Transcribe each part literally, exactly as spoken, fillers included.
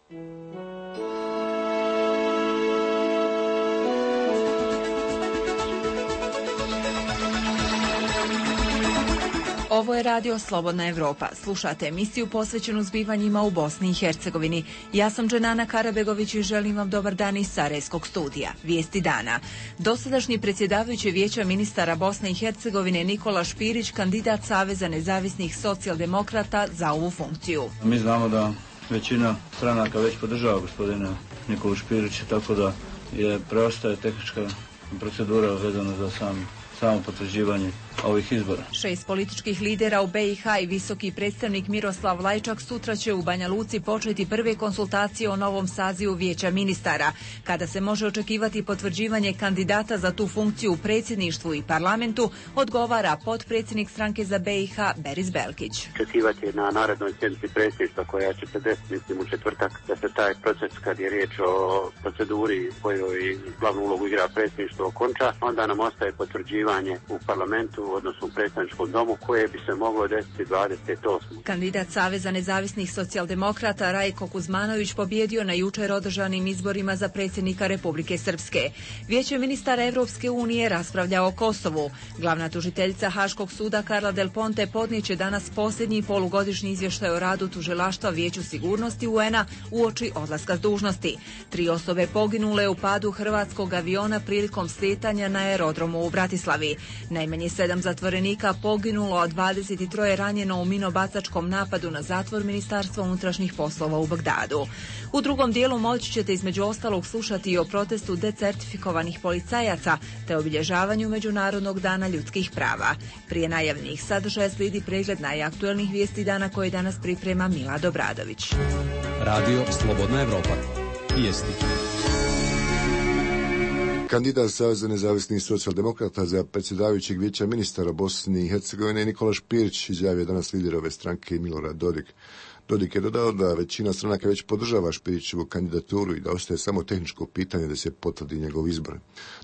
Ovo je radio Slobodna Evropa. Slušate emisiju posvećenu zbivanjima u Bosni i Hercegovini. Ja sam Dženana Karabegović i želim vam dobar dan iz Sarajevskog studija. Vijesti dana. Dosadašnji predsjedavajući Vijeća ministara Bosne i Hercegovine Nikola Špirić, kandidat Saveza nezavisnih socijaldemokrata za ovu funkciju. Mi znamo da većina stranaka već podržava gospodina Nikolu Špirića, tako da je preostaje tehnička procedura vezana za sam samo potvrđivanje ovih izbora. Šest političkih lidera u be i ha i visoki predstavnik Miroslav Lajčak sutra će u Banja Luci početi prve konsultacije o novom sazivu Vijeća ministara, kada se može očekivati potvrđivanje kandidata za tu funkciju u predsjedništvu i parlamentu, odgovara potpredsjednik stranke za be i ha Beris Belkić. Očekivati je na narednoj sjednici predsjedništva koja će se desiti, mislim, u četvrtak, da se taj proces, kad je riječ o proceduri kojoj glavnu ulogu igra predsjedništvo, okonča, onda nam ostaje potvrđivanje u parlamentu, odnosno u predstavničkom domu, koje bi se moglo desiti dvadeset osmog Kandidat Saveza nezavisnih socijaldemokrata Rajko Kuzmanović pobjedio na jučer održanim izborima za predsjednika Republike Srpske. Vijeće ministara Evropske unije raspravlja o Kosovu. Glavna tužiteljica Haškog suda Karla Del Ponte podnijeće danas posljednji polugodišnji izvještaj o radu tužilaštva Vijeću sigurnosti u en a uoči odlaska s dužnosti. Tri osobe poginule u padu hrvatskog aviona prilikom slijetanja na aerodromu u Bratislavi. Najmanje sedam zatvorenika poginulo, a dvadeset tri ranjeno u minobacačkom napadu na zatvor Ministarstva unutrašnjih poslova u Bagdadu. U drugom dijelu moći ćete između ostalog slušati i o protestu decertifikovanih policajaca te obilježavanju Međunarodnog dana ljudskih prava. Prije najavljenih sadržaja slijedi pregled najaktuelnijih vijesti dana koje danas priprema Mila Dobradović. Radio Slobodna Evropa. Vijesti. Kandidat Saveza nezavisnih socijaldemokrata za predsjedavajućeg Vijeća ministara Bosne i Hercegovine Nikola Špirić izjavio danas lider ove stranke Milorad Dodik. Dodik je dodao da većina stranaka već podržava Špirićevu kandidaturu i da ostaje samo tehničko pitanje da se potvrdi njegov izbor.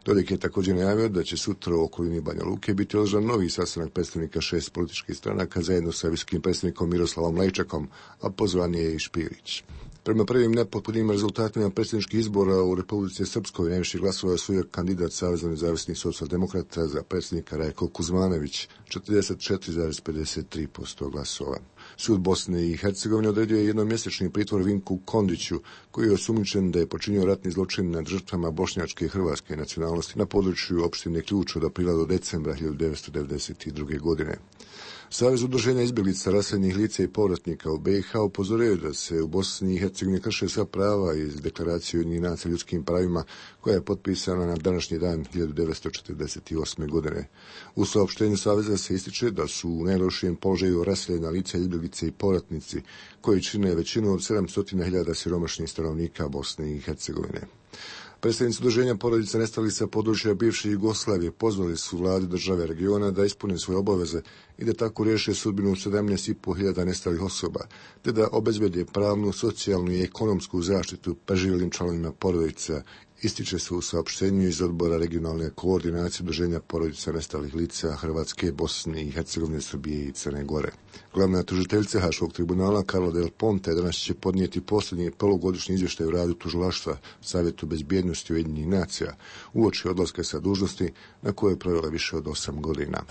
Dodik je također najavio da će sutra u okolini Banja Luke biti održan novi sastanak predstavnika šest političkih stranaka zajedno sa visokim predstavnikom Miroslavom Lajčakom, a pozvan je i Špirić. Prema prvim nepotpunim rezultatima predsjedničkih izbora u Republici Srpskoj najviše glasova osvojio kandidat Saveza nezavisnih socijaldemokrata za predsjednika Rajko Kuzmanović, četrdeset četiri zarez pedeset tri posto glasova. Sud Bosne i Hercegovine odredio je jednomjesečni pritvor Vinku Kondiću, koji je osumnjičen da je počinio ratni zločin nad žrtvama bošnjačke i hrvatske nacionalnosti na području opštine Ključ od aprila do decembra hiljadu devetsto devedeset druge. godine. Savez udruženja izbjeglica, raseljenih lica i povratnika u be i ha upozorio da se u Bosni i Hercegovini krše sva prava iz Deklaracije Ujedinjenih nacija o ljudskim pravima koja je potpisana na današnji dan hiljadu devetsto četrdeset osme. godine. U saopštenju Saveza se ističe da su u najlošijem položaju raseljena lica, izbjeglice i povratnici koji čine većinu od sedamsto hiljada siromašnih stanovnika Bosne i Hercegovine. Predstavnici udruženja porodica nestalih sa područja bivše Jugoslavije pozvali su vlade države regiona da ispune svoje obaveze i da tako riješe sudbinu sedamnaest i po hiljada nestalih osoba, te da obezbede pravnu, socijalnu i ekonomsku zaštitu preživjelim članovima porodica, ističe se u saopštenju iz odbora regionalne koordinacije udruženja porodica nestalih lica Hrvatske, Bosne i Hercegovine, Srbije i Crne Gore. Glavna tužiteljica Haškog tribunala Karla Del Ponte danas će podnijeti posljednji polugodišnji izvještaj u radu tužilaštva Savjetu bezbjednosti Ujedinjenih nacija uoči odlaska sa dužnosti na kojoj je provela više od osam godina.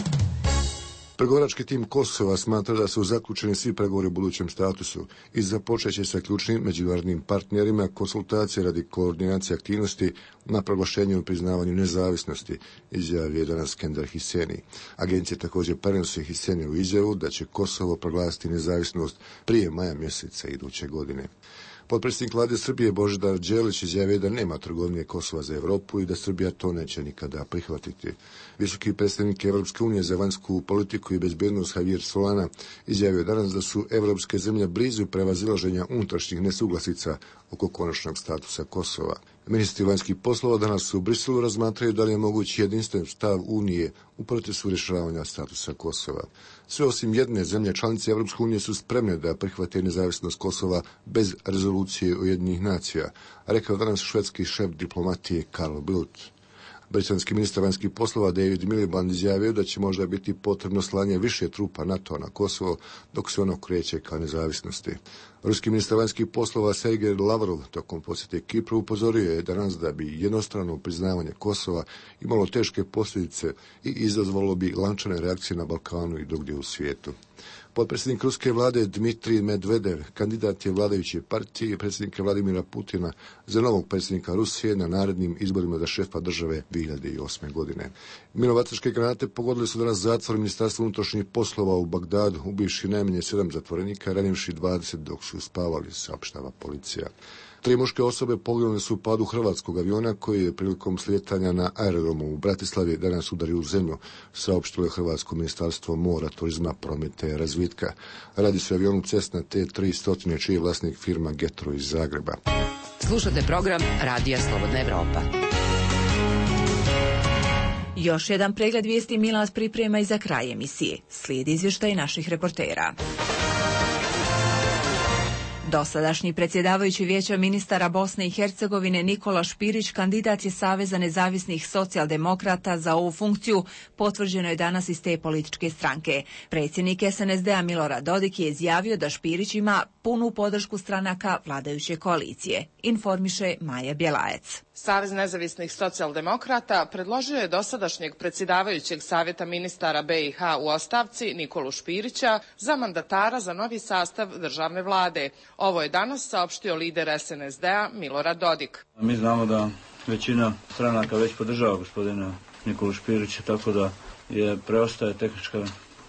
Pregovarački tim Kosova smatra da su zaključeni svi pregovori u budućem statusu i započet će sa ključnim međunarodnim partnerima konsultacije radi koordinacije aktivnosti na proglašenju i priznavanju nezavisnosti, izjavio je danas Skender Hiseni. Agencija također prenosi Hiseni u izjavu da će Kosovo proglasiti nezavisnost prije maja mjeseca iduće godine. Potpredsjednik vlade Srbije Božidar Đelić izjavio da nema trgovine Kosova za Europu i da Srbija to neće nikada prihvatiti. Visoki predstavnik Evropske unije za vanjsku politiku i bezbjednost Javier Solana izjavio danas da su evropske zemlje blizu prevazilaženja unutrašnjih nesuglasica oko konačnog statusa Kosova. Ministri vanjskih poslova danas u Briselu razmatraju da li je mogući jedinstven stav Unije u procesu rješavanja statusa Kosova. Sve osim jedne zemlje članice Evropske unije su spremne da prihvate nezavisnost Kosova bez rezolucije Ujedinjenih nacija, rekao danas švedski šef diplomatije Carl Bildt. Britanski ministar vanjskih poslova David Miliband izjavio da će možda biti potrebno slanje više trupa NATO na Kosovo dok se ono kreće ka nezavisnosti. Ruski ministar vanjskih poslova Sergej Lavrov tokom posjete Kipru upozorio je danas da bi jednostrano priznavanje Kosova imalo teške posljedice i izazvalo bi lančane reakcije na Balkanu i drugdje u svijetu. Potpredsjednik ruske vlade Dmitrij Medvedev, kandidat je vladajuće partije i predsjednika Vladimira Putina za novog predsjednika Rusije na narednim izborima za šefa države dvije hiljade osme. godine. Minovačke granate pogodile su danas zatvor Ministarstva unutrašnjih poslova u Bagdadu, ubivši najmanje sedam zatvorenika, ranivši dvadeset dok su spavali, saopštava policija. Tri muške osobe poginule su u padu hrvatskog aviona koji je prilikom slijetanja na aerodromu u Bratislavi danas udario u zemlju, saopštilo je Hrvatsko ministarstvo mora, turizma, prometa i razvitka. Radi se o avionu Cessna T tri sto, čiji je vlasnik firma Getro iz Zagreba. Slušate program Radija Slobodna Evropa. Još jedan pregled vijesti Milas priprema i za kraj emisije. Slijedi izvještaj naših reportera. Dosadašnji predsjedavajući Vijeća ministara Bosne i Hercegovine Nikola Špirić kandidat je Saveza nezavisnih socijaldemokrata za ovu funkciju, potvrđeno je danas iz te političke stranke. Predsjednik S N S D-a Milorad Dodik je izjavio da Špirić ima punu podršku stranaka vladajuće koalicije, informiše Maja Bjelajac. Savez nezavisnih socijaldemokrata predložio je dosadašnjeg predsjedavajućeg Savjeta ministara B i H u ostavci Nikolu Špirića za mandatara za novi sastav državne vlade. Ovo je danas saopštio lider S N S D-a Milorad Dodik. Mi znamo da većina stranaka već podržava gospodina Nikolu Špirića, tako da je preostaje tehnička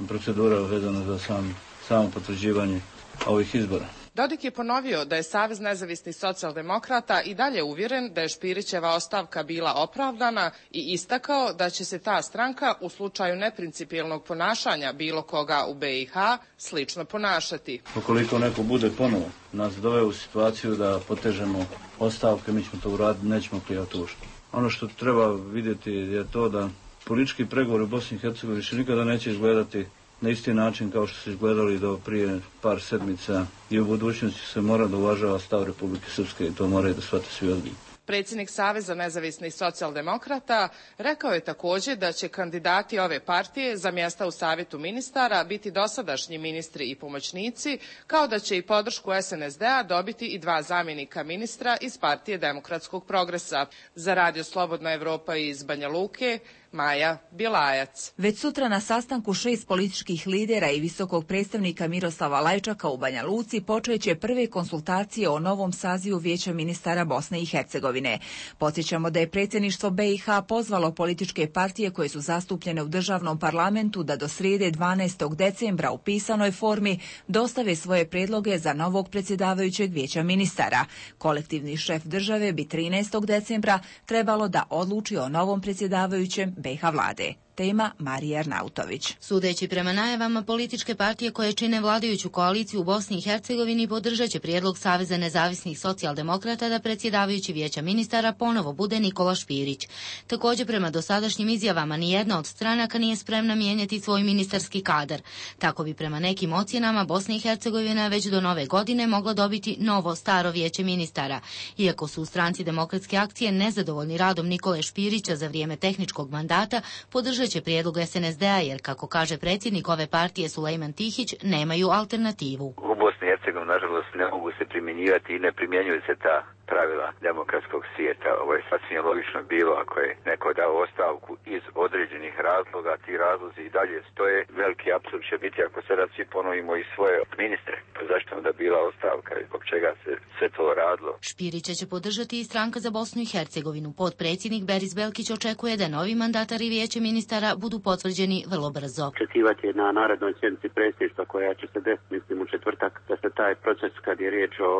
procedura vezana za sam, samo potvrđivanje ovih izbora. Dodik je ponovio da je Savez nezavisnih socijaldemokrata i dalje uvjeren da je Špirićeva ostavka bila opravdana i istakao da će se ta stranka u slučaju neprincipijelnog ponašanja bilo koga u B i H slično ponašati. Ukoliko neko bude ponovo nas doveo u situaciju da potežemo ostavke, mi ćemo to uraditi, nećemo klijati ušta. Ono što treba vidjeti je to da politički pregovori u Bosni i Hercegovini više nikada neće izgledati na isti način kao što su izgledali do prije par sedmica i u budućnosti se mora da uvažava stav Republike Srpske i to moraju da shvate svi ozbiljno. Predsjednik Saveza nezavisnih socijaldemokrata rekao je također da će kandidati ove partije za mjesta u Savjetu ministara biti dosadašnji ministri i pomoćnici, kao da će i podršku S N S D-a dobiti i dva zamjenika ministra iz Partije demokratskog progresa. Za Radio Slobodna Evropa iz Banja Luke, Maja Bjelajac. Već sutra na sastanku šest političkih lidera i visokog predstavnika Miroslava Lajčaka u Banja Luci počeće prve konsultacije o novom sazivu Vijeća ministara Bosne i Hercegovine. Podsjećamo da je predsjedništvo B i H pozvalo političke partije koje su zastupljene u državnom parlamentu da do srijede dvanaestog decembra u pisanoj formi dostave svoje predloge za novog predsjedavajućeg Vijeća ministara. Kolektivni šef države bi trinaestog decembra trebalo da odluči o novom predsjedavajućem B i H vlade. Tema Marija Arnautović. Sudeći prema najavama, političke partije koje čine vladajuću koaliciju u Bosni i Hercegovini podržat će prijedlog Saveza nezavisnih socijaldemokrata da predsjedavajući Vijeća ministara ponovo bude Nikola Špirić. Također, prema dosadašnjim izjavama, nijedna od stranaka nije spremna mijenjati svoj ministarski kadar. Tako bi prema nekim ocjenama Bosna i Hercegovina već do nove godine mogla dobiti novo staro Vijeće ministara. Iako su u stranci Demokratske akcije nezadovoljni radom Nikole Špirića za vrijeme tehničkog mandata, podržat će prijedlog S N S D-a jer, kako kaže predsjednik ove partije Sulejman Tihić, nemaju alternativu. U Bosni i Hercegovini, nažalost, ne mogu se primjenjivati i ne primjenjuju se ta pravila demokratskog svijeta. Ovo je sasvim logično bilo ako je neko dao ostavku iz određenih razloga, ti razlozi i dalje stoje. Veliki apsurd će biti ako sada svi ponovimo i svoje ministre. Pa zašto onda bila ostavka i zbog čega se sve to radilo? Špirića će podržati i stranka za Bosnu i Hercegovinu. Potpredsjednik Beris Belkić očekuje da novi mandatari Vijeća ministara budu potvrđeni vrlo brzo. Očekivati je na narednoj sjednici predsjedništva koja će se desiti, mislim, u četvrtak, da se taj proces, kad je riječ o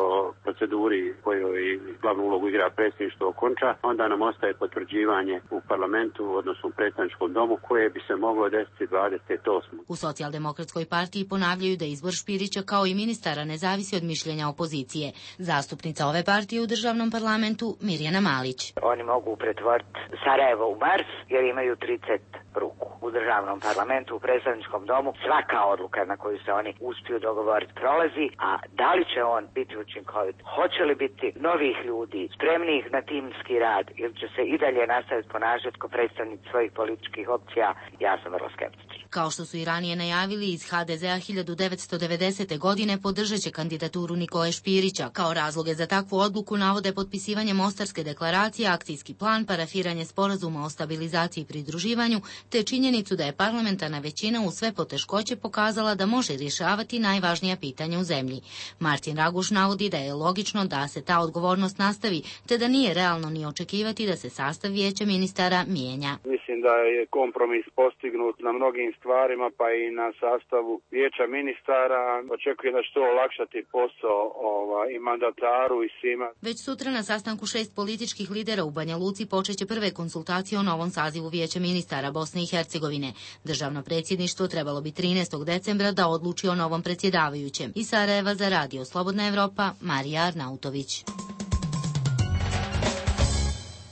proceduri kojoj glavnu ulogu igra predsjedništvo, okonča, onda nam ostaje potvrđivanje u parlamentu, odnosno u predstavničkom domu, koje bi se moglo desiti dvadeset osmog U Socijaldemokratskoj partiji ponavljaju da izbor Špirića kao i ministara ne zavisi od mišljenja opozicije. Zastupnica ove partije u državnom parlamentu Mirjana Malić. Oni mogu pretvoriti Sarajevo u Mars jer imaju trideset ruku. u državnom parlamentu, u predstavničkom domu, svaka odluka na koju se oni uspiju dogovoriti prolazi, a da li će on biti učinkovit, hoće li biti novih ljudi, spremnih na timski rad ili će se i dalje nastaviti ponašati kao predstavnici svojih političkih opcija, ja sam vrlo skeptičan. Kao što su i ranije najavili, iz ha de zea hiljadu devetsto devedesete. godine podržat će kandidaturu Nikole Špirića. Kao razloge za takvu odluku navode potpisivanje Mostarske deklaracije, akcijski plan, parafiranje sporazuma o stabilizaciji i pridruživanju, te činjenicu da je parlamentarna većina u sve poteškoće pokazala da može rješavati najvažnija pitanja u zemlji. Martin Raguš navodi da je logično da se ta odgovornost nastavi, te da nije realno ni očekivati da se sastav vijeća ministara mijenja. Mislim da je kompromis postignut na mnogim stvarima, pa i na sastavu vijeća ministara. Očekujem da će to olakšati posao ova, i mandataru i svima. Već sutra na sastanku šest političkih lidera u Banja Luci počeće prve konsultacije o novom sazivu vijeća ministara Bosne i Hercegovine. Državno predsjedništvo trebalo bi trinaestog decembra da odluči o novom predsjedavajućem. Iz Sarajeva za Radio Slobodna Evropa, Marija Arnautović.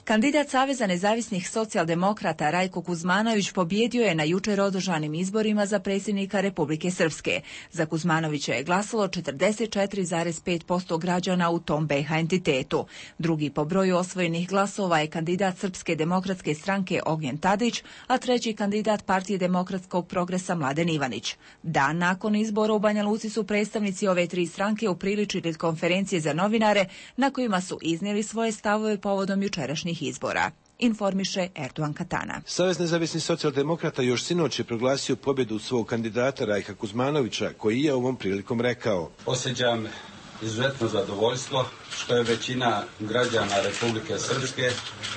Kandidat Saveza nezavisnih socijaldemokrata Rajko Kuzmanović pobjedio je na jučer održanim izborima za predsjednika Republike Srpske. Za Kuzmanovića je glasalo četrdeset četiri zarez pet posto građana u tom be ha entitetu. Drugi po broju osvojenih glasova je kandidat Srpske demokratske stranke Ognjen Tadić, a treći kandidat Partije demokratskog progresa Mladen Ivanić. Dan nakon izbora u Banja Luci su predstavnici ove tri stranke upriličili konferencije za novinare na kojima su iznijeli svoje stavove povodom jučerašnjih izbora. Informiše Erdogan Katana. Savez nezavisnih socijaldemokrata još sinoć je proglasio pobjedu svog kandidata Rajka Kuzmanovića, koji je ovom prilikom rekao: Osjećam izuzetno zadovoljstvo što je većina građana Republike Srpske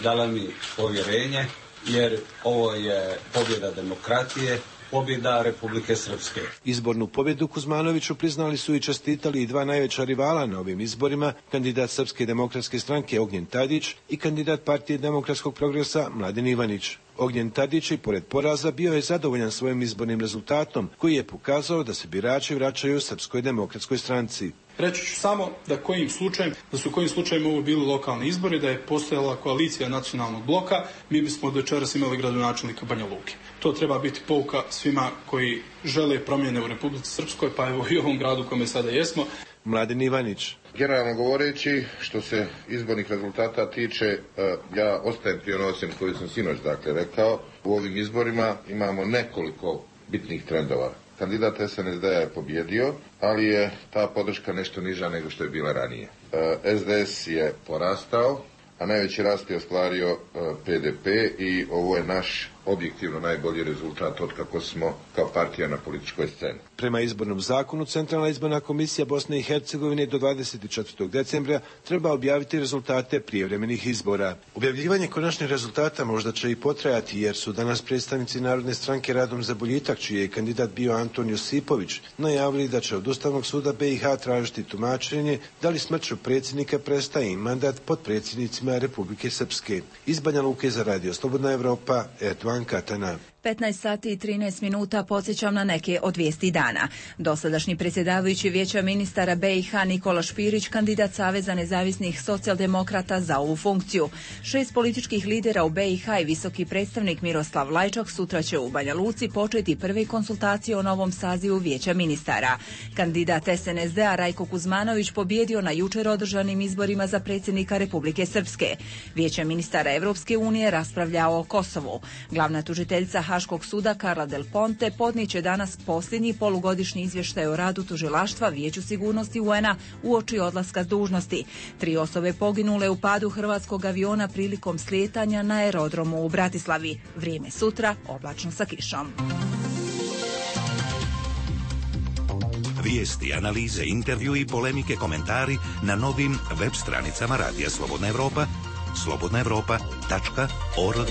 dala mi povjerenje, jer ovo je pobjeda demokratije, pobjeda Republike Srpske. Izbornu pobjedu Kuzmanoviću priznali su i čestitali i dva najveća rivala na ovim izborima, kandidat Srpske demokratske stranke Ognjen Tadić i kandidat Partije demokratskog progresa Mladen Ivanić. Ognjen Tadić i pored poraza bio je zadovoljan svojim izbornim rezultatom, koji je pokazao da se birači vraćaju Srpskoj demokratskoj stranci. Reći ću samo da kojim slučajem, da su kojim slučajem ovo bili lokalni izbori, da je postojala koalicija nacionalnog bloka, mi bismo od večeras imali gradonačelnika Banja Luke. To treba biti pouka svima koji žele promjene u Republici Srpskoj, pa evo i u ovom gradu u kome sada jesmo. Mladen Ivanić. Generalno govoreći, što se izbornih rezultata tiče, ja ostajem pri onoj ocjeni koju sam sinoć dakle rekao. U ovim izborima imamo nekoliko bitnih trendova. Kandidat es en es de a je pobjedio, ali je ta podrška nešto niža nego što je bila ranije. es de es je porastao, a najveći rast je ostvario pe de pe i ovo je naš objektivno najbolji rezultat od kako smo kao partija na političkoj sceni. Prema izbornom zakonu, Centralna izborna komisija Bosne i Hercegovine do dvadeset četvrtog decembra treba objaviti rezultate prijevremenih izbora. Objavljivanje konačnih rezultata možda će i potrajati, jer su danas predstavnici Narodne stranke Radom za boljitak, čiji je kandidat bio Anton Josipović, najavili da će od Ustavnog suda be i ha tražiti tumačenje da li smrću predsjednika prestaje i mandat potpredsjednicima Republike Srpske. Iz Banja Luke za Radio Slobodna Evropa, Erdogan Katana. petnaest sati i trinaest minuta podsjećam na neke od vijesti dana. Dosadašnji predsjedavajući vijeća ministara be i ha Nikola Špirić, kandidat Saveza nezavisnih socijaldemokrata za ovu funkciju. Šest političkih lidera u be i ha i visoki predstavnik Miroslav Lajčak sutra će u Banja Luci početi prve konsultacije o novom sazivu vijeća ministara. Kandidat es en es de a Rajko Kuzmanović pobjedio na jučer održanim izborima za predsjednika Republike Srpske. Vijeće ministara Evropske unije raspravljao o Kosovu. Glavna tužiteljica Haškog suda Karla Del Ponte podnijet danas posljednji polugodišnji izvještaj o radu tužilaštva Vijeću sigurnosti u en a uoči odlaska s dužnosti. Tri osobe poginule u padu hrvatskog aviona prilikom slijetanja na aerodromu u Bratislavi. Vrijeme sutra oblačno sa kišom. Vijesti, analize, intervju i polemike, komentari na novim web stranicama Radija Slobodna Evropa, slobodna evropa tačka org.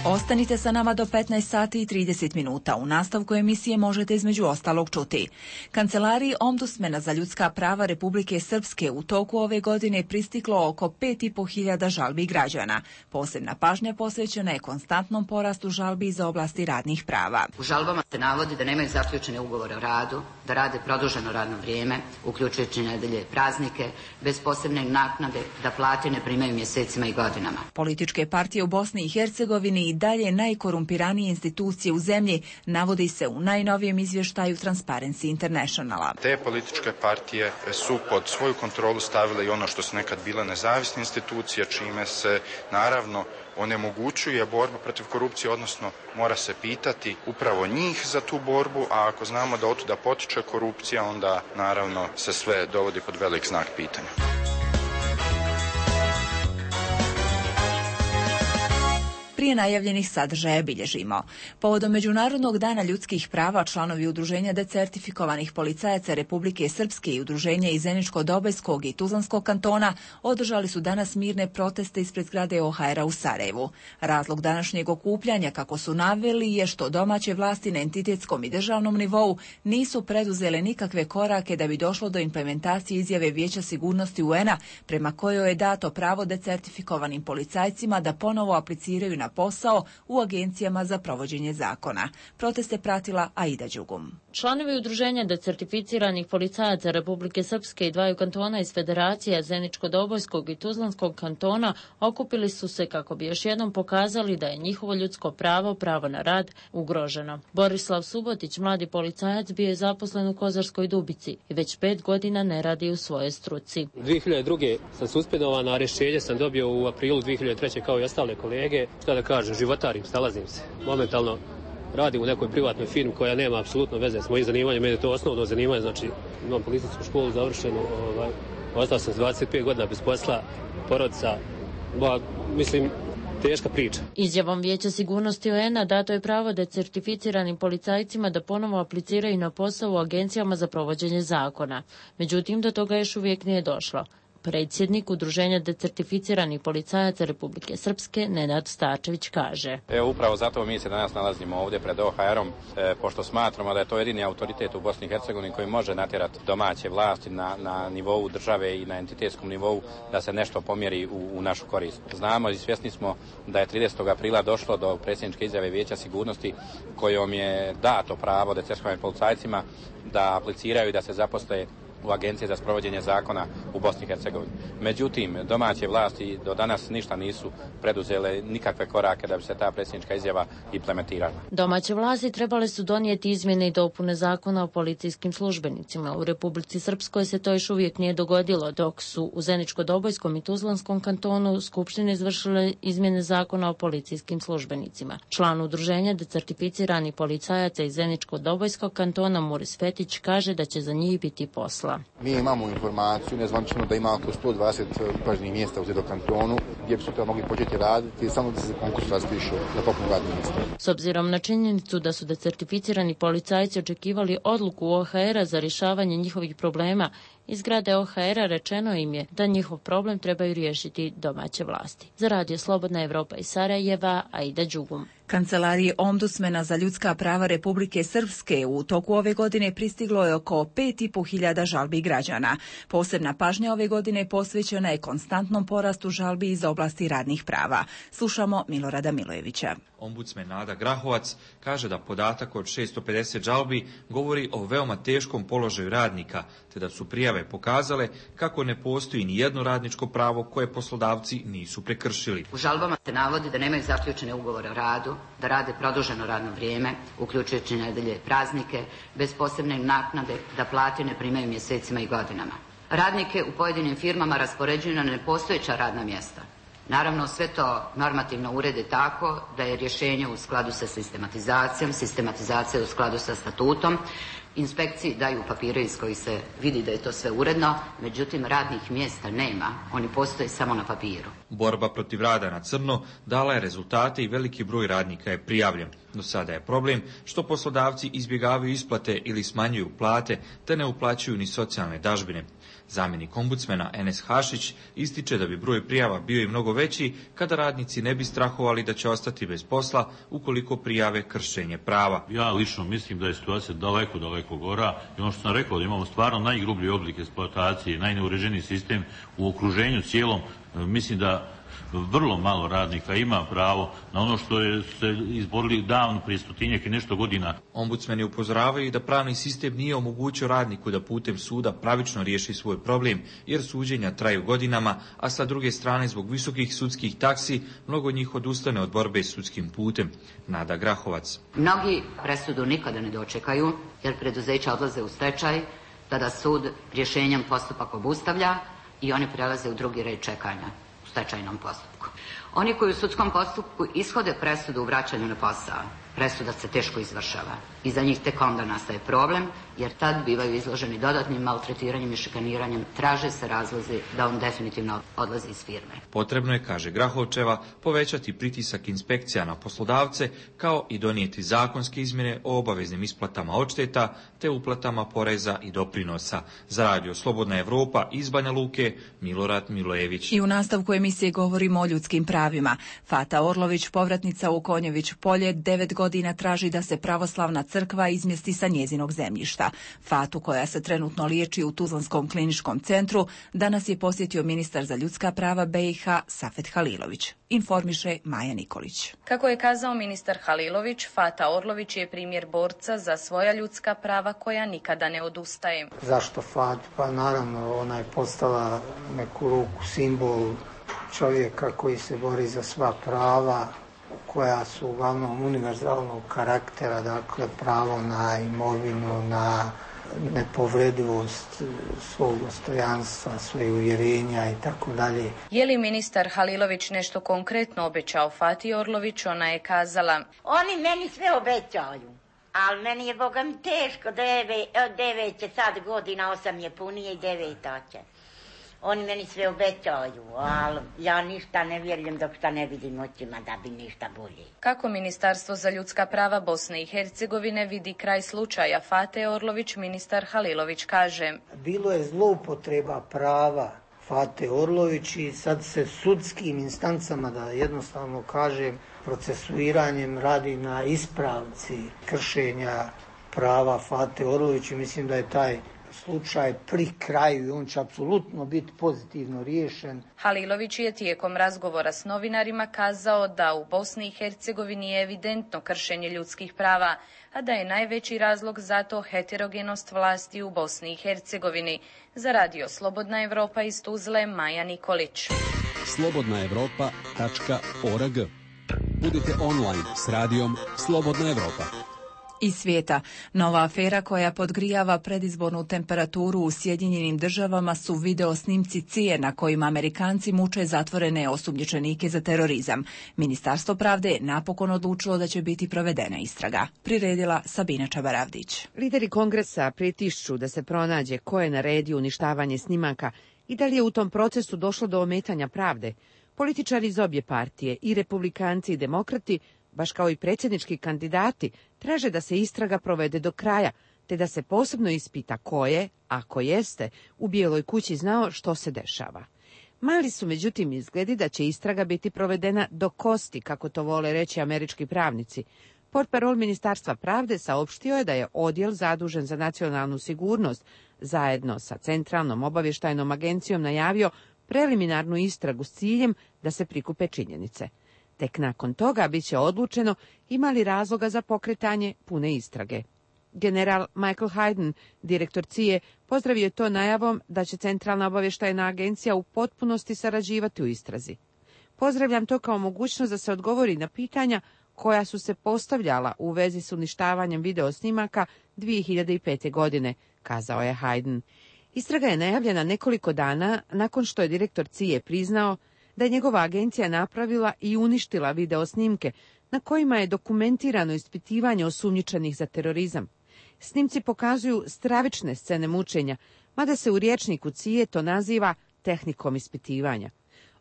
Ostanite sa nama do petnaest sati i trideset minuta. U nastavku emisije možete između ostalog čuti. Kancelariji Ombudsmana za ljudska prava Republike Srpske u toku ove godine pristiglo oko pet i po hiljada žalbi građana. Posebna pažnja posvećena je konstantnom porastu žalbi iz oblasti radnih prava. U žalbama se navodi da nemaju zaključene ugovore o radu, da rade produženo radno vrijeme, uključujući nedelje i praznike, bez posebne naknade, da plate ne primaju mjesecima i godinama. Političke partije u Bosni i Hercegovini i dalje najkorumpiranije institucije u zemlji, navodi se u najnovijem izvještaju Transparency Internationala. Te političke partije su pod svoju kontrolu stavile i ono što su nekad bile nezavisne institucije, čime se naravno onemogućuje borba protiv korupcije, odnosno mora se pitati upravo njih za tu borbu, a ako znamo da otuda potiče korupcija, onda naravno se sve dovodi pod velik znak pitanja. Prije najavljenih sadržaja bilježimo. Povodom Međunarodnog dana ljudskih prava, članovi Udruženja decertifikovanih policajaca Republike Srpske i Udruženja iz Zeničko-Dobojskog i Tuzlanskog kantona održali su danas mirne proteste ispred zgrade O H R-a u Sarajevu. Razlog današnjeg okupljanja, kako su naveli, je što domaće vlasti na entitetskom i državnom nivou nisu preduzele nikakve korake da bi došlo do implementacije izjave Vijeća sigurnosti U N-a prema kojoj je dato pravo decertifikovanim policajcima da ponovo apliciraju na posao u agencijama za provođenje zakona. Protest je pratila Aida Đugum. Članovi Udruženja decertificiranih policajaca Republike Srpske i dvaju kantona iz Federacije Zeničko-Dobojskog i Tuzlanskog kantona okupili su se kako bi još jednom pokazali da je njihovo ljudsko pravo, pravo na rad, ugroženo. Borislav Subotić, mladi policajac, bio je zaposlen u Kozarskoj Dubici i već pet godina ne radi u svojoj struci. dvije hiljade druge sam suspendovan, a rješenje sam dobio u aprilu dvije hiljade treće kao i ostale kolege. Šta da kažem, životarim, snalazim se. Momentalno radim u nekoj privatnoj firmi koja nema apsolutno veze s mojim zanimanjem, meni je to osnovno zanimanje, znači imam policijsku školu završenu, ovaj, ostao sam s dvadeset pet godina bez posla, porodica, ba, mislim, teška priča. Izjavom Vijeća sigurnosti U N-a dato je pravo decertificiranim policajcima da ponovo apliciraju na posao u agencijama za provođenje zakona. Međutim, do toga još uvijek nije došlo. Predsjednik Udruženja decertificiranih policajaca Republike Srpske, Nenad Starčević, kaže: Evo, upravo zato mi se danas nalazimo ovdje pred O H R-om, e, pošto smatramo da je to jedini autoritet u Bosni i Hercegovini koji može natjerati domaće vlasti na, na nivou države i na entitetskom nivou da se nešto pomjeri u, u našu korist. Znamo i svjesni smo da je tridesetog aprila došlo do predsjedničke izjave Vijeća sigurnosti kojom je dato pravo decertifikovanim policajcima da apliciraju i da se zaposle u Agenciji za sprovođenje zakona u Bosni i Hercegovini. Međutim, domaće vlasti do danas ništa nisu preduzele nikakve korake da bi se ta predsjednička izjava implementirala. Domaće vlasti trebale su donijeti izmjene i dopune zakona o policijskim službenicima. U Republici Srpskoj se to još uvijek nije dogodilo, dok su u Zeničko-Dobojskom i Tuzlanskom kantonu skupštine izvršile izmjene zakona o policijskim službenicima. Član Udruženja decertificiranih policajaca iz Zeničko-Dobojskog kantona Muris Fetić kaže da će za njih biti posla. Mi imamo informaciju nezvanično da ima oko sto dvadeset upražnjenih mjesta u Zedo kantonu gdje bi sutra mogli početi raditi samo da se konkurs raspišu za popunu radnih mjesta. S obzirom na činjenicu da su decertificirani policajci očekivali odluku O H R-a za rješavanje njihovih problema, iz zgrade O H R-a rečeno im je da njihov problem trebaju riješiti domaće vlasti. Za Radio Slobodna Evropa iz Sarajeva, Aida Đugum. Kancelariji ombudsmena za ljudska prava Republike Srpske u toku ove godine pristiglo je oko pet i po hiljada žalbi građana. Posebna pažnja ove godine posvećena je konstantnom porastu žalbi iz oblasti radnih prava. Slušamo Milorada Milojevića. Ombudsmen Nada Grahovac kaže da podatak od šesto pedeset žalbi govori o veoma teškom položaju radnika, te da su prijave pokazale kako ne postoji ni jedno radničko pravo koje poslodavci nisu prekršili. U žalbama se navodi da nemaju zaključene ugovore o radu, da rade produženo radno vrijeme, uključujući nedelje i praznike, bez posebne naknade, da plate ne primaju mjesecima i godinama. Radnike u pojedinim firmama raspoređuju na nepostojeća radna mjesta. Naravno, sve to normativno urede tako da je rješenje u skladu sa sistematizacijom, sistematizacija u skladu sa statutom. Inspekciji daju papire iz kojih se vidi da je to sve uredno, međutim radnih mjesta nema, oni postoje samo na papiru. Borba protiv rada na crno dala je rezultate i veliki broj radnika je prijavljen. Do sada je problem što poslodavci izbjegavaju isplate ili smanjuju plate te ne uplaćuju ni socijalne dažbine. Zamjenik ombudsmena Enes Hašić ističe da bi broj prijava bio i mnogo veći kada radnici ne bi strahovali da će ostati bez posla ukoliko prijave kršenje prava. Ja lično mislim da je situacija daleko, daleko gora i ono što sam rekao da imamo stvarno najgrublji oblik eksploatacije, najneuređeniji sistem u okruženju cijelom. Mislim da Vrlo malo radnika ima pravo na ono što je se izborili davno prije stotinjak i nešto godina. Ombudsmeni upozoravaju da pravni sistem nije omogućio radniku da putem suda pravično riješi svoj problem, jer suđenja traju godinama, a sa druge strane zbog visokih sudskih taksi mnogo njih odustane od borbe s sudskim putem. Nada Grahovac. Mnogi presudu nikada ne dočekaju, jer preduzeća odlaze u stečaj, tada sud rješenjem postupak obustavlja i oni prelaze u drugi red čekanja u stečajnom postupku. Oni koji u sudskom postupku ishode presudu u vraćanju na posao, presuda se teško izvršava i za njih tek onda nastaje problem, jer tad bivaju izloženi dodatnim maltretiranjem i šikaniranjem, traže se razlozi da on definitivno odlazi iz firme. Potrebno je, kaže Grahovčeva, povećati pritisak inspekcija na poslodavce, kao i donijeti zakonske izmjene o obaveznim isplatama odšteta te uplatama poreza i doprinosa. Za radio Slobodna Evropa iz Banja Luke, Milorad Milojević. I u nastavku emisije govorimo o ljudskim pravima. Fata Orlović, povratnica u Konjević polje, devet godina traži da se pravoslavna crkva izmjesti sa njezinog zemljišta. Fatu, koja se trenutno liječi u Tuzlanskom kliničkom centru, danas je posjetio ministar za ljudska prava B i H Safet Halilović. Informiše Maja Nikolić. Kako je kazao ministar Halilović, Fata Orlović je primjer borca za svoja ljudska prava koja nikada ne odustaje. Zašto Fat? Pa naravno, ona je postala neku ruku simbol čovjeka koji se bori za sva prava, koja su uglavnom univerzalnog karaktera, dakle pravo na imovinu, na nepovredivost svog dostojanstva, svoje uvjerenja i tako dalje. Je li ministar Halilović nešto konkretno obećao Fati Orlović? Ona je kazala: oni meni sve obećaju, ali meni je Boga mi teško, devet, devet će sad godina, osam je punije i deveta će. Oni meni sve obećaju, ali ja ništa ne vjerujem dok šta ne vidim očima da bi ništa bolje. Kako Ministarstvo za ljudska prava Bosne i Hercegovine vidi kraj slučaja Fate Orlović, ministar Halilović kaže: bilo je zloupotreba prava Fate Orlović i sad se sudskim instancama, da jednostavno kažem, procesuiranjem radi na ispravci kršenja prava Fate Orlović i mislim da je taj slučaj pri kraju i on će apsolutno biti pozitivno riješen. Halilović je tijekom razgovora s novinarima kazao da u Bosni i Hercegovini je evidentno kršenje ljudskih prava, a da je najveći razlog za to heterogenost vlasti u Bosni i Hercegovini. Za radio Slobodna Evropa iz Tuzle, Maja Nikolić. slobodna evropa tačka org. Budite online s radijom Slobodna Evropa. Iz svijeta. Nova afera koja podgrijava predizbornu temperaturu u Sjedinjenim državama su video snimci C I E na kojima Amerikanci muče zatvorene osumnjičenike za terorizam. Ministarstvo pravde je napokon odlučilo da će biti provedena istraga. Priredila Sabina Čabaravdić. Lideri kongresa pritišću da se pronađe ko je naredio uništavanje snimaka i da li je u tom procesu došlo do ometanja pravde. Političari iz obje partije, i republikanci i demokrati, baš kao i predsjednički kandidati, traže da se istraga provede do kraja, te da se posebno ispita ko je, ako jeste, u Bijeloj kući znao što se dešava. Mali su međutim izgledi da će istraga biti provedena do kosti, kako to vole reći američki pravnici. Portparol Ministarstva pravde saopštio je da je odjel zadužen za nacionalnu sigurnost zajedno sa Centralnom obavještajnom agencijom najavio preliminarnu istragu s ciljem da se prikupe činjenice. Tek nakon toga bit će odlučeno ima li razloga za pokretanje pune istrage. General Michael Hayden, direktor C I E, pozdravio je to najavom da će Centralna obavještajna agencija u potpunosti sarađivati u istrazi. Pozdravljam to kao mogućnost da se odgovori na pitanja koja su se postavljala u vezi s uništavanjem videosnimaka dvije hiljade pete. godine, kazao je Hayden. Istraga je najavljena nekoliko dana nakon što je direktor C I E priznao da je njegova agencija napravila i uništila videosnimke na kojima je dokumentirano ispitivanje osumnjičenih za terorizam. Snimci pokazuju stravične scene mučenja, mada se u rječniku C I E to naziva tehnikom ispitivanja.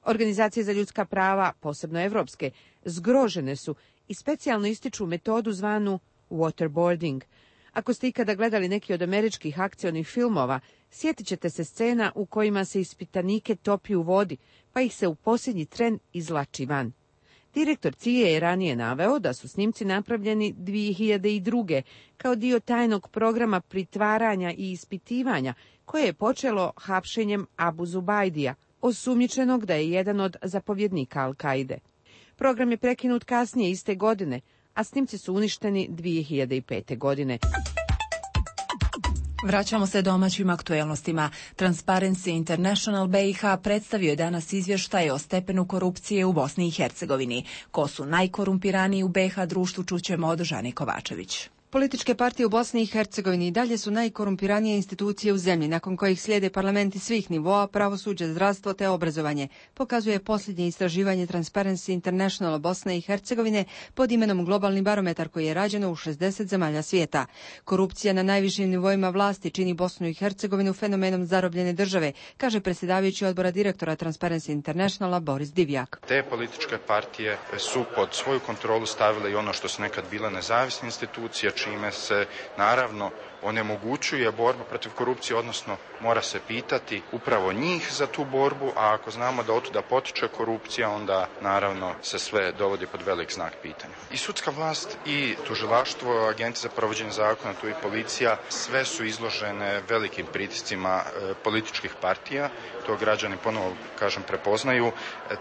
Organizacije za ljudska prava, posebno evropske, zgrožene su i specijalno ističu metodu zvanu waterboarding. Ako ste ikada gledali neki od američkih akcionih filmova, sjetit ćete se scena u kojima se ispitanike topi u vodi, pa ih se u posljednji tren izvlači van. Direktor C I E je ranije naveo da su snimci napravljeni dvije hiljade druge. kao dio tajnog programa pritvaranja i ispitivanja koje je počelo hapšenjem Abu Zubajdija, osumnjičenog da je jedan od zapovjednika Al-Kaide. Program je prekinut kasnije iste godine, a snimci su uništeni dvije hiljade pete. godine. Vraćamo se domaćim aktuelnostima. Transparency International B i H predstavio je danas izvještaj o stepenu korupcije u Bosni i Hercegovini. Ko su najkorumpiraniji u B i H društvu, čućemo od Žane Kovačević. Političke partije u Bosni i Hercegovini i dalje su najkorumpiranije institucije u zemlji, nakon kojih slijede parlamenti svih nivoa, pravosuđe, zdravstvo te obrazovanje, pokazuje posljednje istraživanje Transparency International Bosne i Hercegovine pod imenom Globalni barometar koji je rađeno u šezdeset zemalja svijeta. Korupcija na najvišim nivoima vlasti čini Bosnu i Hercegovinu fenomenom zarobljene države, kaže predsjedavajući odbora direktora Transparency Internationala Boris Divjak. Te političke partije su pod svoju kontrolu stavile i ono što su nekad bile nezavisne institucije, čime se naravno onemogućuje borba protiv korupcije, odnosno mora se pitati upravo njih za tu borbu, a ako znamo da otuda potiče korupcija, onda naravno se sve dovodi pod velik znak pitanja. I sudska vlast i tužilaštvo, agencije za provođenje zakona, tu i policija, sve su izložene velikim pritiscima e, političkih partija, to građani ponovo, kažem, prepoznaju, e,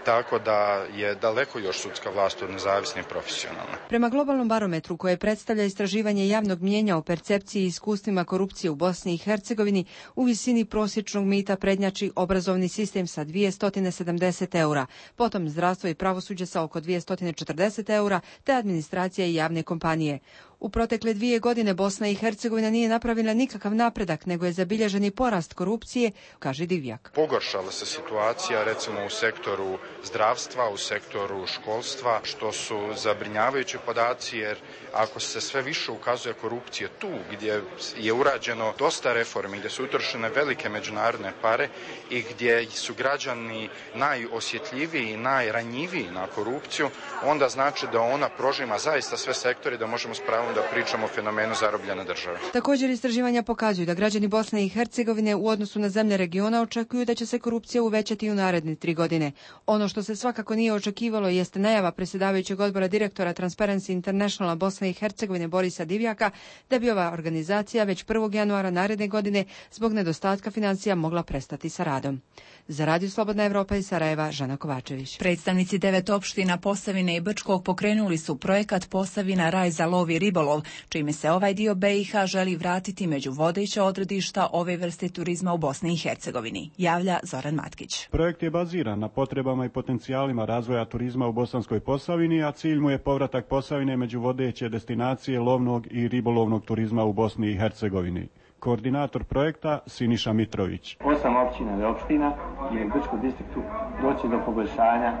tako da je daleko još sudska vlast od nezavisne i profesionalne. Prema globalnom barometru koje predstavlja istraživanje javnog mnijenja o percepciji i iskustvima korupcije u Bosni i Hercegovini, u visini prosječnog mita prednjači obrazovni sistem sa dvjesto sedamdeset eura, potom zdravstvo i pravosuđe sa oko dvjesto četrdeset eura, te administracija i javne kompanije. U protekle dvije godine Bosna i Hercegovina nije napravila nikakav napredak, nego je zabilježen i porast korupcije, kaže Divjak. Pogoršala se situacija recimo u sektoru zdravstva, u sektoru školstva, što su zabrinjavajući podaci, jer ako se sve više ukazuje korupcije tu gdje je urađeno dosta reformi, gdje su utrošene velike međunarodne pare i gdje su građani najosjetljiviji i najranjiviji na korupciju, onda znači da ona prožima zaista sve sektore, da možemo s pravom da pričamo o fenomenu zarobljene države. Također istraživanja pokazuju da građani Bosne i Hercegovine u odnosu na zemlje regiona očekuju da će se korupcija uvećati u naredne tri godine. Ono što se svakako nije očekivalo jeste najava predsjedavajućeg odbora direktora Transparency Internationala Bosne i Hercegovine Borisa Divjaka da bi ova organizacija već prvog januara naredne godine zbog nedostatka financija mogla prestati sa radom. Za Radio Slobodna Evropa iz Sarajeva, Žana Kovačević. Predstavnici devet opština Posavine i Brčkog pokrenuli su projekat Posavina raj za lov i ribolov, čime se ovaj dio B i H želi vratiti među vodeća odredišta ove vrste turizma u Bosni i Hercegovini, javlja Zoran Matkić. Projekt je baziran na potrebama i potencijalima razvoja turizma u Bosanskoj Posavini, a cilj mu je povratak Posavine među vodeće destinacije lovnog i ribolovnog turizma u Bosni i Hercegovini. Koordinator projekta Siniša Mitrović. Osam općina i opština je u Brčkom distriktu doći do poboljšanja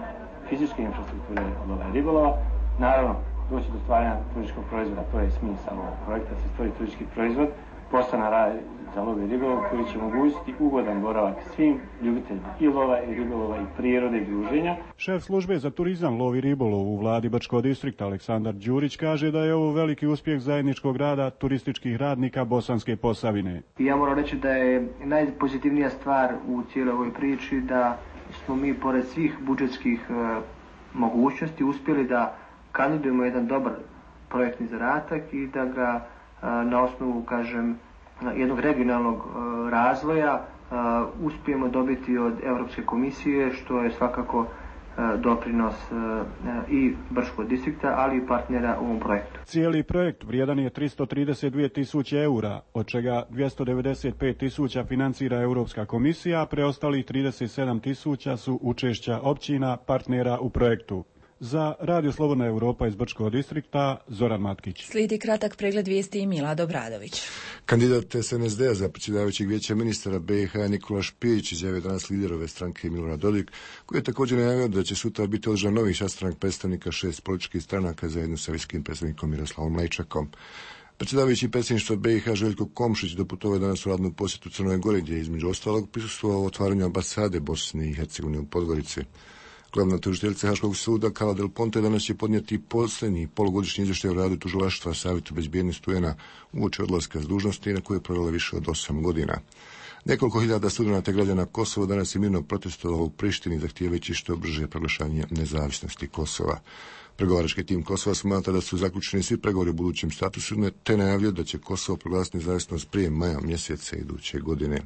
fizičke infrastrukture lova i ribolova. Naravno, doći do stvaranja turističkog proizvoda, to je smisao ovog projekta, se stvori turistički proizvod, postane raj za lov i ribolov koji će omogućiti ugodan boravak svim ljubiteljima i lova i ribolova i prirode i druženja. Šef službe za turizam, lov i ribolov u vladi Brčkog distrikta Aleksandar Đurić kaže da je ovo veliki uspjeh zajedničkog rada turističkih radnika Bosanske Posavine. Ja moram reći da je najpozitivnija stvar u cijeloj ovoj priči da smo mi pored svih budžetskih e, mogućnosti uspjeli da kandidujemo jedan dobar projektni zadatak i da ga e, na osnovu, kažem, jednog regionalnog e, razvoja e, uspijemo dobiti od Europske komisije, što je svakako e, doprinos e, i Brčkog distrikta, ali i partnera u ovom projektu. Cijeli projekt vrijedan je tristo trideset dvije tisuće eura, od čega dvjesto devedeset pet tisuća financira Europska komisija, a preostalih trideset sedam tisuća su učešća općina partnera u projektu. Za Radio Slobodna Evropa iz Brčkog distrikta, Zoran Matkić. Slijedi kratak pregled vijesti i Milad Obradović. Kandidat S N S D-a za predsjedavajućeg vijeća ministara B i H Nikola Špijić izjavio danas liderove stranke Milorad Dodik, koji je također najavio da će sutra biti održan novi sastanak predstavnika šest političkih stranaka zajedno sa visokim predstavnikom Miroslavom Lajčakom. Predsjedavajući predsjedništva B i H Željko Komšić doputovao danas u radnu posjetu Crnoj Gori, gdje je između ostalog prisustvovao otvaranju ambasade Bosne i Hercegovine u Podgorici. Glavna tužiteljica Haškog suda Carla Del Ponte danas će podnijeti posljednji polugodišnji izvještaj o radu tužilaštva Savjetu bezbjednosti U N-a uoči odlaska s dužnosti na koje je provela više od osam godina. Nekoliko hiljada studenata građana Kosova danas je mirno protestovalo u Prištini zahtijevajući što brže proglašanje nezavisnosti Kosova. Pregovarački tim Kosova smatra da su zaključeni svi pregovori u budućem statusu, te najavljaju da će Kosovo proglasiti nezavisnost prije maja mjeseca iduće godine.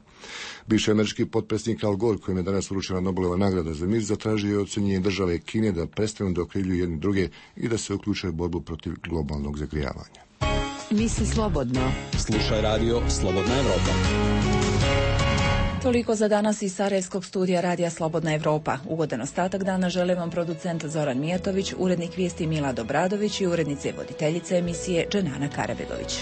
Bivši američki potpredsjednik Al Gore, kojem je danas uručena Nobelova nagrada za mir, zatražio je ocenjenje države Kine da prestanu da okrivljuju jedni druge i da se uključe u borbu protiv globalnog zagrijavanja. Misli slobodno. Slušaj radio Slobodna Evropa. Toliko za danas iz Sarajevskog studija Radija Slobodna Evropa. Ugodan ostatak dana žele vam producent Zoran Mijatović, urednik vijesti Milad Obradović i urednice voditeljice emisije Dženana Karabegović.